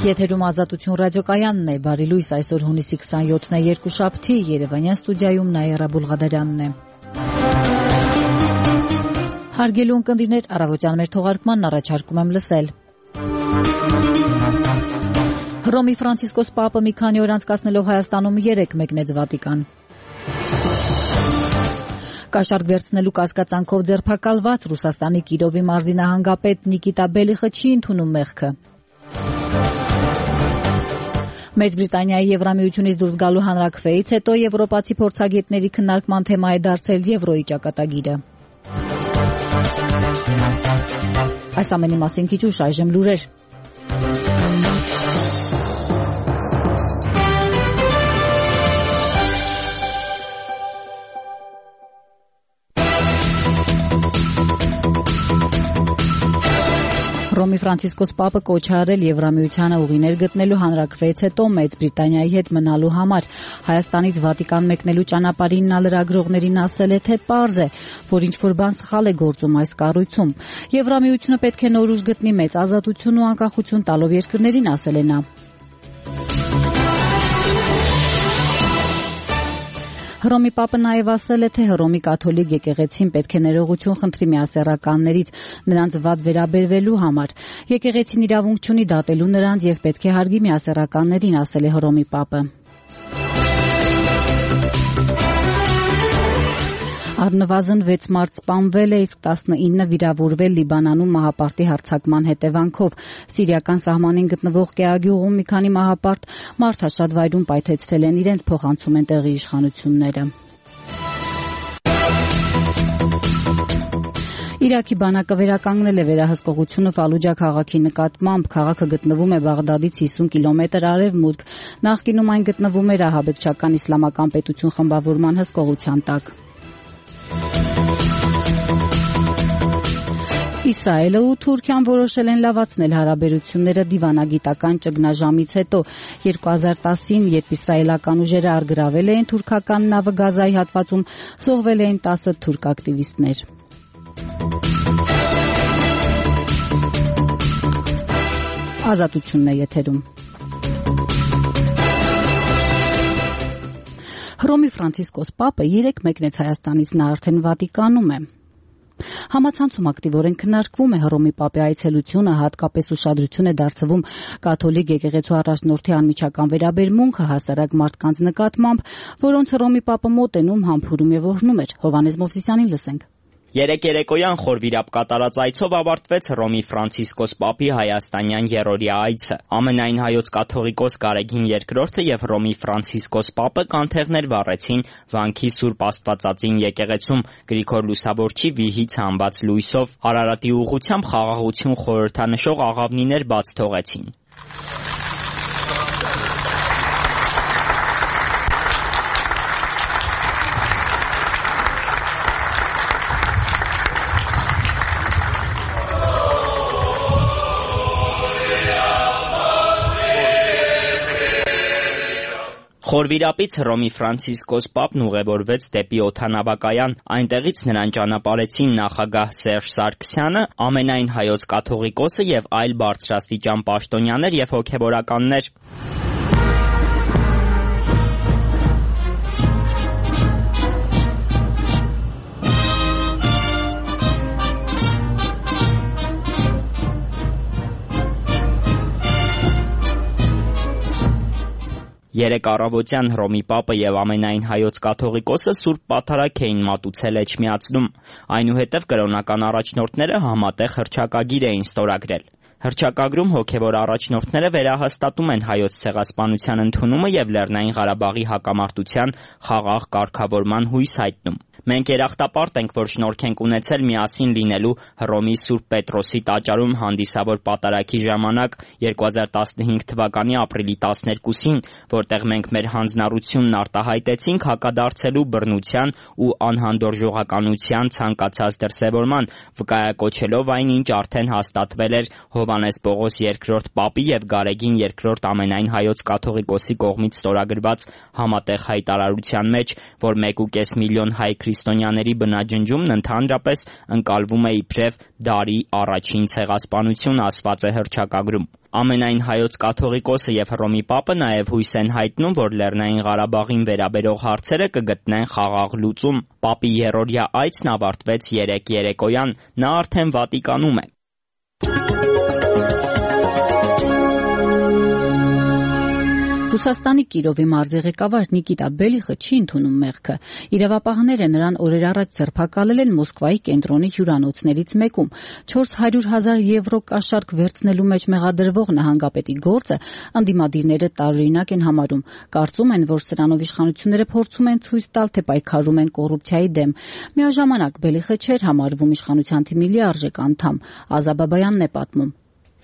Եթերում Ազատություն ռադիոկայանն է, բարի լույս, այսօր հունիսի 27-ն է, երկուշաբթի, Երևանյան ստուդիայում Նաիրա Բուլղադարյանն է։ Հարգելի ունկնդիրներ, առավոտյան մեր թողարկմանն առաջարկում եմ լսել։ Հռոմի Ֆրանցիսկոս Պապը մի քանի օր անցկացնելով Հայաստանում 3 մեկնեց Վատիկան։ Կաշառք վերցնելու կասկածանքով ձերբակալված Ռուսաստանի Կիրովի մարզի նահանգապետ Նիկիտա Բելիխը չի ընդունում մեղքը։ Մեծ Բրիտանիայի Եվրամիությունից դուրս գալու հանրաքվեից հետո եվրոպացի փորձագետների քննարկման թեմա է դարձել Եվրոյի ճակատագիրը։ Այս ամենի մասին քիչ ուշ, այժմ լուրեր։ Հռոմի Ֆրանցիսկոս Պապը կոչ է արել Եվրամիությանը ուղիներ գտնելու հանրաքվեից հետո Մեծ Բրիտանիայի հետ մնալու համար։ Հայաստանից Վատիկան մեկնելու ճանապարհին նա լրագրողներին ասել է, թե պարզ է, որ ինչ-որ բան սխալ է գործում այս կառույցում։ Եվրամիությունը պետք է նոր ուժ գտնի մեծ ազատություն ու անկախություն տալով երկրներին, ասել է նա։ Հռոմի Պապը նաև ասել է, թե Հռոմի կաթոլիկ եկեղեցին պետք է ներողություն խնդրի միասեռականներից նրանց վատ վերաբերվելու համար։ Եկեղեցին իրավունք չունի դատելու նրանց եւ պետք է հարգի միասեռականներին, ասել է Հռոմի Պապը։ Առնվազն 6 մարդ սպանվել է, իսկ 19 վիրավորվել Լիբանանում մահապարտի հարձակման հետևանքով։ Սիրիական սահմանին գտնվող Կեագյուղում մի քանի մահապարտ մարդաշատ վայրում պայթեցրել են իրենց, փոխանցում են տեղի իշխանությունները։ Իրաքի բանակը վերականգնել է վերահսկողությունը Ֆալուջա քաղաքի նկատմամբ։ Քաղաքը գտնվում է Բաղդադից 50 կիլոմետր արևմուտք։ Նախկինում այն գտնվում էր ահաբեկչական իսլամական պետություն խմբավորման հսկողության տակ։ Իսրայելը ու Թուրքիան որոշել են լավացնել հարաբերությունները դիվանագիտական ճգնաժամից հետո 2010-ին, երբ իսրայելական ուժերը առգրավել էին թուրքական նավը Գազայի հատվածում, զոհվել էին 10 թուրք ակտիվիստներ։ Ազատությունն է եթերում։ Հռոմի Ֆրանցիսկոս Պապը 3 մեկնեց Հայաստանից, նա արդեն Վատիկանում է։ Համացանցում ակտիվորեն քննարկվում է Հռոմի Պապի այցելությունը, հատկապես ուշադրություն է դարձվում կաթոլիկ եկեղեցու առաջնորդի անմիջական վերաբերմունքը հասարակ մարդկանց նկատմամբ, որոնց Հռոմի Պապը մոտենում, համբուրում եւ օրհնում էր։ Հովհաննես Մովսիսյանին լսենք։ Երեկոյան խորվիրապ կատարած այցով ավարտվեց Հռոմի Ֆրանցիսկոս Պապի հայաստանյան երրորդյա այցը։ Ամենայն հայոց կաթողիկոս Գարեգին II եւ Հռոմի Ֆրանցիսկոս Պապը կանթեղներ վառեցին Վանքի Սուրբ Աստվածածին եկեղեցում Գրիգոր Լուսավորչի վիհից հանված լույսով։ Արարատի ուղղությամբ խաղաղություն խորհրդանշող աղավնիներ բաց թողեցին։ Խորվիրապից Հռոմի Ֆրանցիսկոս Պապն ուղևորվեց դեպի օդանավակայան, այնտեղից նրան ճանապարհեցին նախագահ Սերժ Սարգսյանը, ամենայն հայոց կաթողիկոսը եւ այլ բարձրաստիճան պաշտոնյաներ եւ հոգեվորականներ։ Երեկ առավոտյան Հռոմի Պապը եւ ամենայն հայոց կաթողիկոսը Սուրբ Պատարագ էին մատուցել Էջմիածնում, այնուհետև կրոնական առաջնորդները համատեղ հռչակագիր էին ստորագրել։ Հռչակագրում հոգևոր առաջնորդները վերահաստատում են հայոց ցեղասպանության ընդունումը եւ Լեռնային Ղարաբաղի հակամարտության խաղաղ կարգավորման հույս հայտնում։ Մենք երախտապարտ ենք, որ շնորհք ենք ունեցել միասին լինելու Հռոմի Սուրբ Պետրոսի տաճարում հանդիսավոր պատարագի ժամանակ 2015 թվականի ապրիլի 12-ին, որտեղ մենք մեր հանձնառությունն արտահայտեցինք հակադարձելու բռնության ու անհանդուրժողականության ցանկացած դրսևորման, վկայակոչելով այն, ինչ արդեն հաստատվել էր Հովհաննես Պողոս II Պապի եւ Գարեգին II ամենայն հայոց կաթողիկոսի կողմից ստորագրված համատեղ հայտարարության մեջ, որ 1,5 միլիոն հայ քրիստոնյաների բնաջնջումն ընդհանրապես ընկալվում է իբրև դարի առաջին ցեղասպանություն, ասված է հռչակագրում։ Ամենայն հայոց կաթողիկոսը եւ Հռոմի Պապը նաեւ հույս են հայտնում, որ Լեռնային Ղարաբաղին վերաբերող հարցերը կգտնեն խաղաղ լուծում։ Պապի երրորդյա այցն ավարտվեց երեկոյան, նա արդեն Վատիկանում է։ Ռուսաստանի Կիրովի մարզի ղեկավար Նիկիտա Բելիխը չի ընդունում մեղքը։ Իրավապահները նրան օրեր առաջ ձերբակալել են Մոսկվայի կենտրոնի հյուրանոցներից մեկում։ 400,000 եվրո կաշառք վերցնելու մեջ մեղադրվող նահանգապետի գործը ընդդիմադիրները տարօրինակ են համարում։ Կարծում են, որ սրանով իշխանությունները փորձում են ցույց տալ, թե պայքարում են կոռուպցիայի դեմ։ Միաժամանակ Բելիխը չէր համարվում իշխանության թիմի լիարժեք անդամ։ Ազա Բաբայանն է պատմում։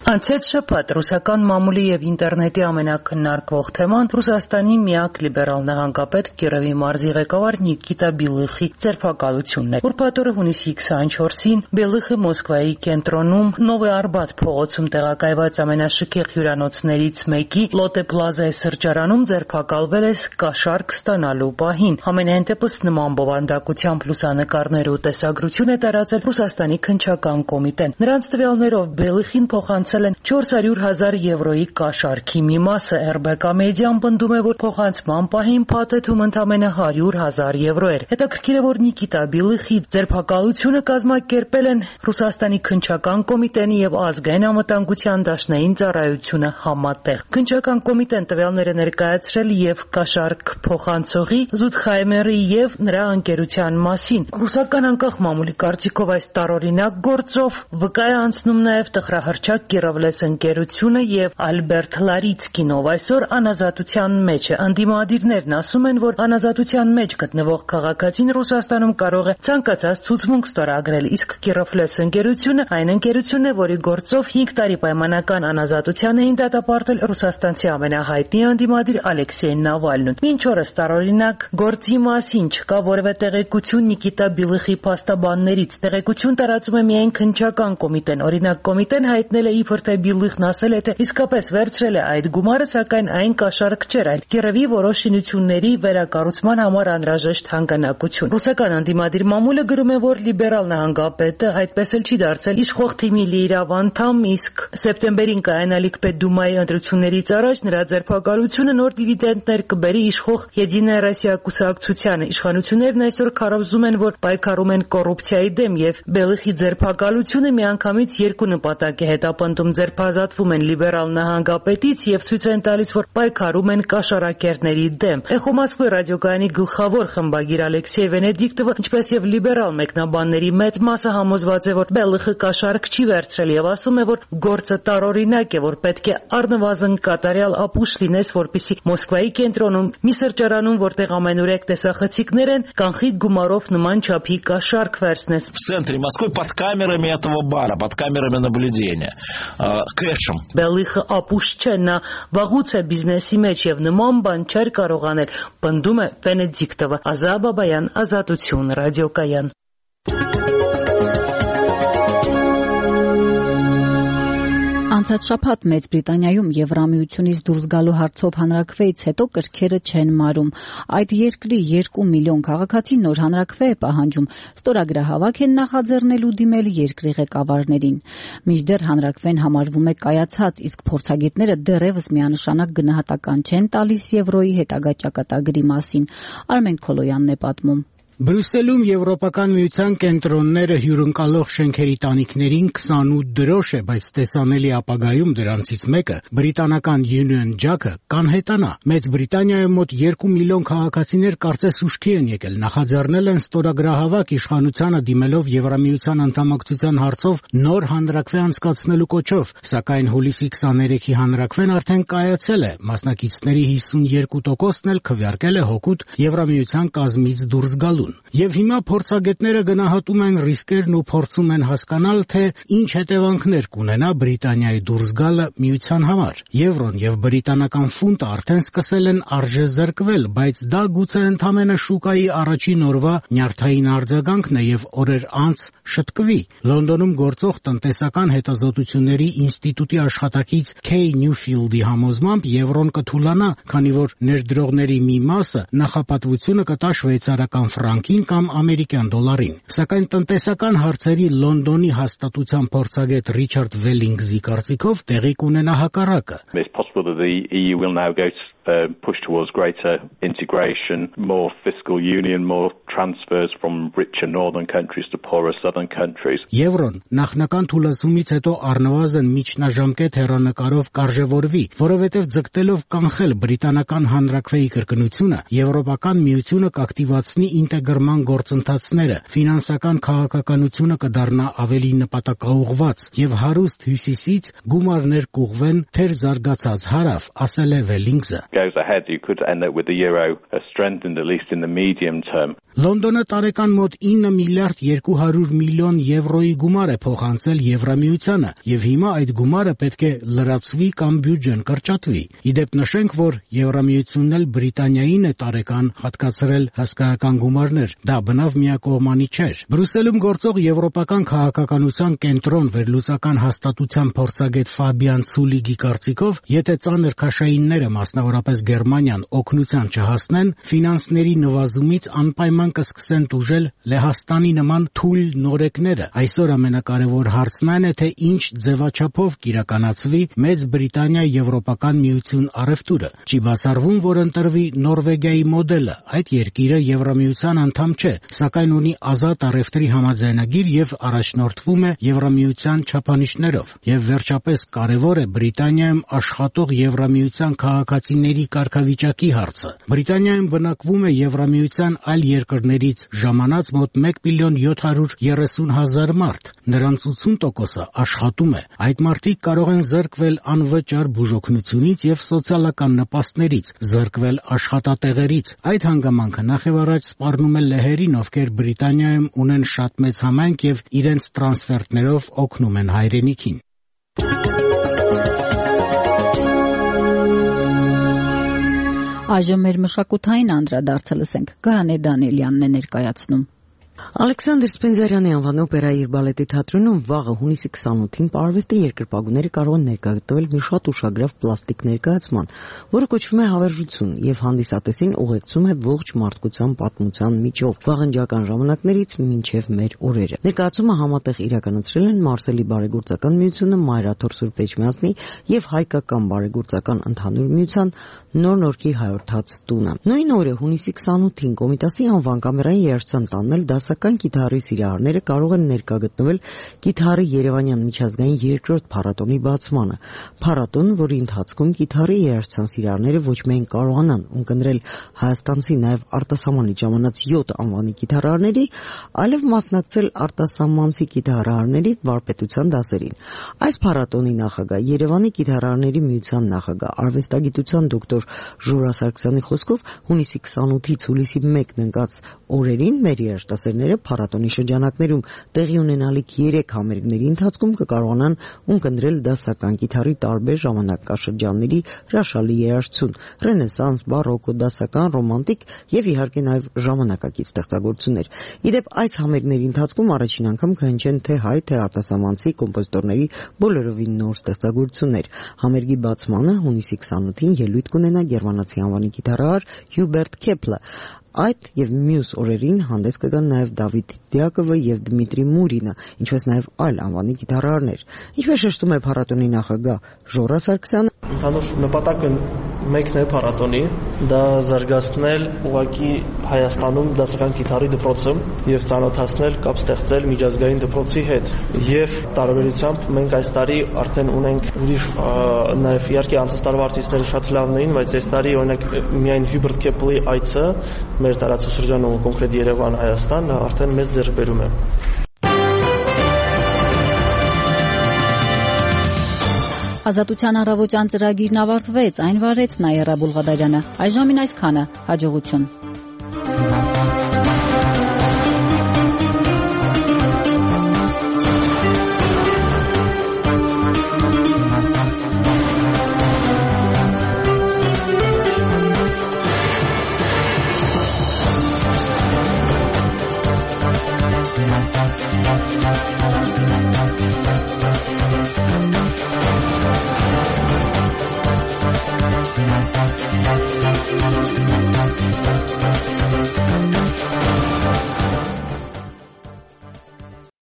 Անցած շաբաթ ռուսական մամուլի եւ ինտերնետի ամենակննարկվող թեման Ռուսաստանի միակ լիբերալ նահանգապետ Կիրովի մարզի ղեկավար Նիկիտա Բելիխի ձերբակալությունն է։ Ուրբաթ օրը հունիսի 24-ին Բելիխը Մոսկվայի կենտրոնում Նովոյ Արբաթ փողոցում տեղակայված ամենաշքեղ հյուրանոցներից մեկի Լոտե Պլազայի սրճարանում ձերբակալվել է կաշառք ստանալու պահին։ Համենայն դեպս նման բովանդակությամբ լուսանկարներ ու տեսագրություն է տարածել Ռուսաստանի քննչական կոմիտեն։ Նրանց տվյալներով Բելիխին փոխանցել 400,000 եվրոյի կաշառքի մի մասը RBK մեդիան պնդում է, որ փոխանցման պահին փաթեթում ընդամենը 100,000 եվրո էր։ Հետաքրքիր է, որ Նիկիտա Բելիխի ձերբակալությունը կազմակերպել են Ռուսաստանի քննչական կոմիտեն եւ ազգային անվտանգության դաշնային ծառայությունը համատեղ։ Քննչական կոմիտեն տվյալները ներկայացրել եւ կաշառք փոխանցողի Զուդխայմերի եւ նրա ընկերության մասին։ Ռուսական անկախ մամուլի կարծիքով այս տարօրինակ գործով վկա է անցնում նաեւ տխրահռչակ Կիրովլես ընկերությունը եւ Ալբերտ Լարիցկինով այսօր անազատության մեջ է։ Անդիմադիրներն ասում են, որ անազատության մեջ գտնվող քաղաքացին Ռուսաստանում կարող է ցանկացած ցուցմունք ստորագրել, իսկ Կիրովլես ընկերությունը այն ընկերությունն է, որի գործով 5 տարի պայմանական անազատության էին դատապարտել ռուսաստանցի ամենահայտնի անդիմադիր Ալեքսեյ Նավալնին։ Մինչ օրս տարօրինակ գործի մասին չկա որևէ տեղեկություն Նիկիտա Բելիխի փաստաբաններից։ Տեղեկություն տարածում է միայն քննչական կոմիտեն։ Օրինակ կոմիտեն հայտնել է իբր թե Բելիխն ասել է, թե իսկապես վերցրել է այդ գումարը, սակայն այն կաշառք չէր, այլ Կիրովի որոշ շինությունների վերակառուցման համար անհրաժեշտ հանգանակություն։ Ռուսական անդիմադիր մամուլը գրում է, որ լիբերալ նահանգապետը այդպես էլ չի դարձել իշխող թիմի լիիրավ անդամ, իսկ սեպտեմբերին կայանալիք Պետդումայի ընտրություններից առաջ նրա ձերբակալությունը նոր դիվիդենդներ կբերի իշխող Եդինայա Ռոսիա կուսակցությանը։ Իշխանություններն այսօր քարոզում են, որ պայքարում են կոռուպցիայի դեմ եւ Բելիխի ձերբակալությունը միանգամից երկու նպատակ է հետապնդում։ Ձերբազատվում են լիբերալ նահանգապետից եւ ցույց են տալիս, որ պայքարում են կաշառակերների դեմ։ Էխո Մոսկվայի ռադիոկայանի գլխավոր խմբագիր Ալեքսեյ Վենեդիկտովը, ինչպես եւ լիբերալ մեկնաբանների մեծ մասը համոզված է, որ Բելիխը կաշառք չի վերցրել եւ ասում է, որ գործը տարօրինակ է, որ պետք է առնվազն կատարյալ ապուշ լինես, որպեսզի Մոսկվայի կենտրոնում մի սրճարանում, որտեղ ամենուրեք տեսախցիկներ են, կանխիկ գումարով նման չափի կաշառք վերցնես։ В центре Москвы под камерами этого бара, под камерами наблюдения. Կեշում։ Բելիխը ապուշ չէ, նա վաղուց է բիզնեսի մեջ եւ նման բան չէր կարող անել, պնդում է Վենեդիկտովը։ Ազա Բաբայան, Ազատություն, ռադիոկայան։ Անցած շաբաթ Մեծ Բրիտանիայում Եվրամիությունից դուրս գալու հարցով հանրաքվեից հետո կրքերը չեն մարում։ Այդ երկրի 2 միլիոն քաղաքացի նոր հանրաքվե է պահանջում։ Ստորագրահավաք են նախաձեռնելու դիմել երկրի ղեկավարներին։ Մինչդեռ հանրաքվեն համարվում է կայացած, իսկ փորձագետները դեռևս միանշանակ գնահատական չեն տալիս եվրոյի հետագա ճակատագրի մասին։ Արմեն Քոլոյանն է պատմում։ Բրյուսելում Եվրոպական միության կենտրոնները հյուրընկալող շենքերի տանիքներին 28 դրոշ է, բայց տեսանելի ապագայում դրանցից մեկը բրիտանական Union Jack-ը կանհետանա։ Մեծ Բրիտանիայում մոտ 2 միլիոն քաղաքացիներ կարծես ուշքի են եկել, նախաձեռնել են ստորագրահավաք իշխանությանը դիմելով Եվրամիության անդամակցության հարցով նոր հանրաքվե անցկացնելու կոչով, սակայն հուլիսի 23-ի հանրաքվեն արդեն կայացել է, մասնակիցների 52%-ն էլ քվեարկել է հօգուտ Եվրամիության կազմից դուրս գալու։ Եվ հիմա փորձագետները գնահատում են ռիսկերն ու փորձում են հասկանալ, թե ինչ հետևանքներ կունենա Բրիտանիայի դուրս գալը միության համար։ Եվրոն եւ բրիտանական ֆունտը արդեն սկսել են արժեզրկվել, բայց դա գուցե ընդամենը շուկայի առաջին օրվա նյարդային արձագանքն է եւ օրեր անց շտկվի։ Լոնդոնում գործող տնտեսական հետազոտությունների ինստիտուտի աշխատակից Քեյ Նյուֆիլդի համոզմամբ եվրոն կթուլանա, քանի որ ներդրողների մի մասը նախապատվությունը կտա շվեյցարական ֆրանկ ֆրանկին կամ ամերիկյան դոլարին։ Սակայն տնտեսական հարցերի Լոնդոնի հաստատության փորձագետ Ռիչարդ Վելինգզի կարծիքով տեղի կունենա հակառակը։ It's possible that the EU will now go to push towards greater integration, more fiscal union, more transfers from richer northern countries to poorer southern countries. Եվրոն նախնական թուլացումից հետո առնվազն միջնաժամկետ հեռանկարով կարժևորվի, որովհետև ձգտելով կանխել բրիտանական հանրաքվեի կրկնությունը, Եվրոպական միությունը կակտիվացնի ինտեգրման գործընթացները, ֆինանսական քաղաքականությունը կդառնա ավելի նպատակաուղղված եւ հարուստ հյուսիսից գումարներ կուղվեն թեր զարգացած հարավ, ասել է Վելինգզը։ Goes ahead, you could end up with the euro strengthened at least in the medium term. Լոնդոնը տարեկան մոտ 9 միլիարդ 200 միլիոն եվրոյի գումար է փոխանցել Եվրամիությանը եւ հիմա այդ գումարը պետք է լրացվի կամ բյուջեն կրճատվի։ Իդեպ նշենք, որ Եվրամիությունն էլ Բրիտանիային է տարեկան հատկացրել հսկայական գումարներ։ Դա բնավ միակողմանի չէր։ Բրյուսելում գործող եվրոպական քաղաքականության կենտրոն վերլուծական հաստատության փորձագետ Ֆաբիան Ցուլիգի կարծիքով, եթե ծանր քաշայինները, մասնավորապես Գերմանիան, օգնության չհասնեն, ֆինանսների նվազումից անպայման կսկսեն տուժել Լեհաստանի նման թույլ նորեկները։ Այսօր ամենակարևոր հարցն այն է, թե ինչ ձևաչափով կիրականացվի Մեծ Բրիտանիա Եվրոպական միություն առևտուրը։ Չի բացառվում, որ ընտրվի Նորվեգիայի մոդելը։ Այդ երկիրը Եվրամիության անդամ չէ, սակայն ունի ազատ առևտրի համաձայնագիր եւ առաջնորդվում է Եվրամիության չափանիշներով։ Եվ վերջապես կարևոր է Բրիտանիայում աշխատող Եվրամիության քաղաքացիների կարգավիճակի հարցը։ Բրիտանիայում բնակվում է Եվրամիության այլ երկրներից ժամանած մոտ 1 միլիոն 730 հազար մարդ, նրանց 80%-ը աշխատում է։ Այդ մարդիկ կարող են զրկվել անվճար բուժօգնությունից եւ սոցիալական նպաստներից, զրկվել աշխատատեղերից։ Այդ հանգամանքը նախևառաջ սպառնում է լեհերին, ովքեր Բրիտանիայում ունեն շատ մեծ համայնք եւ իրենց տրանսֆերտներով օգնում են հայրենիքին։ Այժմ մեր մշակութային անդրադարձը լսենք։ Գայանե Դանիելյանն է ներկայացնում։ Ալեքսանդր Սպենզարյանի անվան օպերայի եւ բալետի թատրոնում վաղը հունիսի 28-ին պարվեստի երկրպագուները կարող են ներկայացնել մի շատ ուշագրավ պլաստիկ ներկայացման, որը կոչվում է հավերժություն եւ հանդիսատեսին ուղեկցում է ողջ մարդկության պատմության միջով, վաղնջական ժամանակներից մինչեւ մեր օրերը։ Ներկայացումը համատեղ իրականացրել են Մարսելի բարեգործական միությունը, Մայրաթոր Սուրբ Էջմիածնի եւ Հայկական բարեգործական ընդհանուր միության Նոր Նորքի հայորդաց տունը։ Նույն օրը հունիսի 28-ին Կոմիտասի անվան կամերային երաժշտության տանն դասական կիթառի սիրահարները կարող են ներկա գտնվել կիթառի Երևանյան միջազգային երկրորդ փառատոնի բացմանը։ Փառատոն, որի ընթացքում կիթառի երաժշտության սիրահարները ոչ միայն կարողանան ունկնդրել հայաստանցի նաև արտասահմանից ժամանած 7 անվանի կիթառարների, այլև մասնակցել արտասահմանցի կիթառարների վարպետության դասերին։ Այս փառատոնի նախագահ Երևանի կիթառարների միության նախագահ արվեստագիտության դոկտոր Ժորա Սարգսյանի խոսքով հունիսի 28-ից հուլիսի 1-ն ընկած օրերին մեր երաժշտասերները փառատոնի շրջանակներում տեղի ունենալիք 3 համերգների ընթացքում կկարողանան ունկնդրել դասական կիթառի տարբեր ժամանակաշրջանների հրաշալի երաժշտություն՝ ռենեսանս, բարոկո, դասական, ռոմանտիկ եւ իհարկե նաեւ ժամանակակից ստեղծագործություններ։ Իդեպ այս համերգների ընթացքում առաջին անգամ կհնչեն թե հայ, թե արտասահմանցի կոմպոզիտորների բոլորովին նոր ստեղծագործություններ։ Համերգի բացմանը հունիսի 28-ին ելույթ կունենա գերմանացի անվանի կիթառահար Հյուբերտ Քեպլը։ Այդ եւ մյուս օրերին հանդես կգան նաեւ Դավիթ Դիակովը եւ Դմիտրի Մուրինը, ինչպես նաեւ այլ անվանի գիտարարներ։ Ինչպես շեշտում է փառատոնի նախագահ Ժորա Սարգսյանը, ընդհանուր նպատակը մեկն է փառատոնի, դա զարգացնել ուղղակի Հայաստանում դասական գիտարի դպրոցը եւ ծանոթացնել, կապ ստեղծել միջազգային դպրոցի հետ։ Եվ տարբերությամբ մենք այս տարի արդեն ունենք ուրիշ նաեւ իհարկե անցած տարվա արտիստները շատ լավն էին, բայց այս տարի օրինակ միայն Հյուբերտ Քեպլի այցը մեր տարածաշրջանում, կոնկրետ Երևան, Հայաստան, արդեն մեծ ձեռքբերում է։ Ազատության առավոտյան ծրագիրն ավարտվեց, այն վարեց Նաիրա Բուլղադարյանը։ Այժմին այսքանը, հաջողություն։